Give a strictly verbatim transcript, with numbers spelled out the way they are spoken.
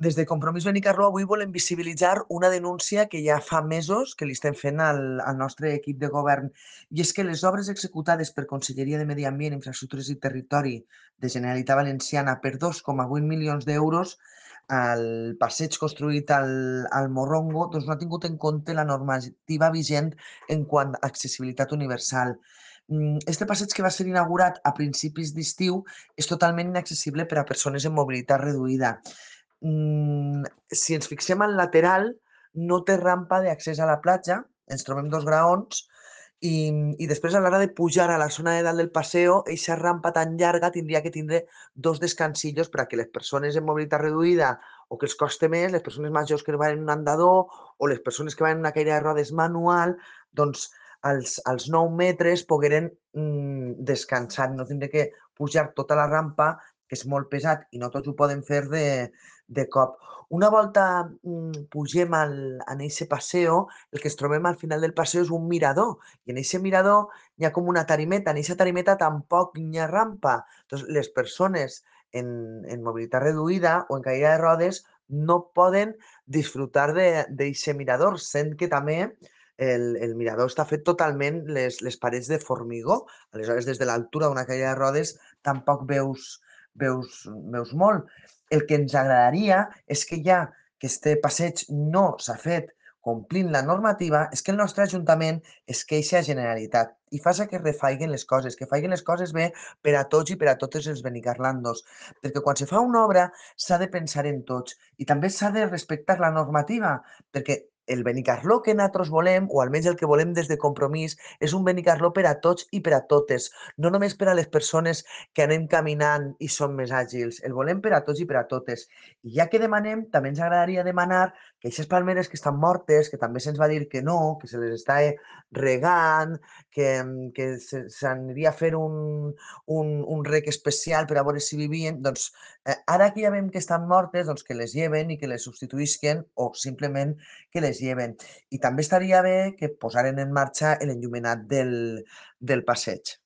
Des de Compromís Benicarló avui volem visibilitzar una denúncia que ja fa mesos que li estem fent al, al nostre equip de govern, i és que les obres executades per Conselleria de Medi Ambient, Infraestructures i Territori de Generalitat Valenciana per dos coma vuit milions d'euros al passeig construït al, al Morrongo, doncs no ha tingut en compte la normativa vigent en quant a accessibilitat universal. Mm, Este passeig, que va ser inaugurat a principis d'estiu, és totalment inaccessible per a persones amb mobilitat reduïda. Mm, si ens fixem al lateral, no té rampa d'accés a la platja, ens trobem dos graons, i, i després a l'hora de pujar a la zona de dalt del paseo, aquesta rampa tan llarga tindria que tindre dos descansillos per a que les persones amb mobilitat reduïda o que els coste més, les persones majors que van en un andador o les persones que van en una cadira de rodes manual, doncs als, als nou metres pogueren mm, descansar, no tindre que pujar tota la rampa, que és molt pesat i no tots ho poden fer de, de cop. Una volta mm, pugem al, en eixe paseo, el que ens trobem al final del paseo és un mirador, i en eixe mirador hi ha com una tarimeta. En eixa tarimeta tampoc hi ha rampa. Entonces, les persones en, en mobilitat reduïda o en caïda de rodes no poden disfrutar d'eixe mirador, sent que també el, el mirador està fet totalment les, les parets de formigó. Aleshores, des de l'altura d'una caïda de rodes tampoc veus, veus, veus molt. El que ens agradaria és que ja que este passeig no s'ha fet complint la normativa, és que el nostre Ajuntament es queixa a Generalitat i faça que refaiguen les coses, que faiguen les coses bé per a tots i per a totes els benicarlandos. Perquè quan se fa una obra s'ha de pensar en tots i també s'ha de respectar la normativa, perquè el Benicarló que nosaltres volem, o almenys el que volem des de Compromís, és un Benicarló per a tots i per a totes, no només per a les persones que anem caminant i som més àgils, el volem per a tots i per a totes. I ja que demanem, també ens agradaria demanar que aquestes palmeres que estan mortes, que també se'ns va dir que no, que se les està regant, que, que s'aniria a fer un, un, un rec especial per a veure si vivien, doncs eh, ara que ja veiem que estan mortes, doncs que les lleven i que les substituïsquen o simplement que les lleven. I també estaria bé que posaren en marxa l'enllumenat del, del passeig.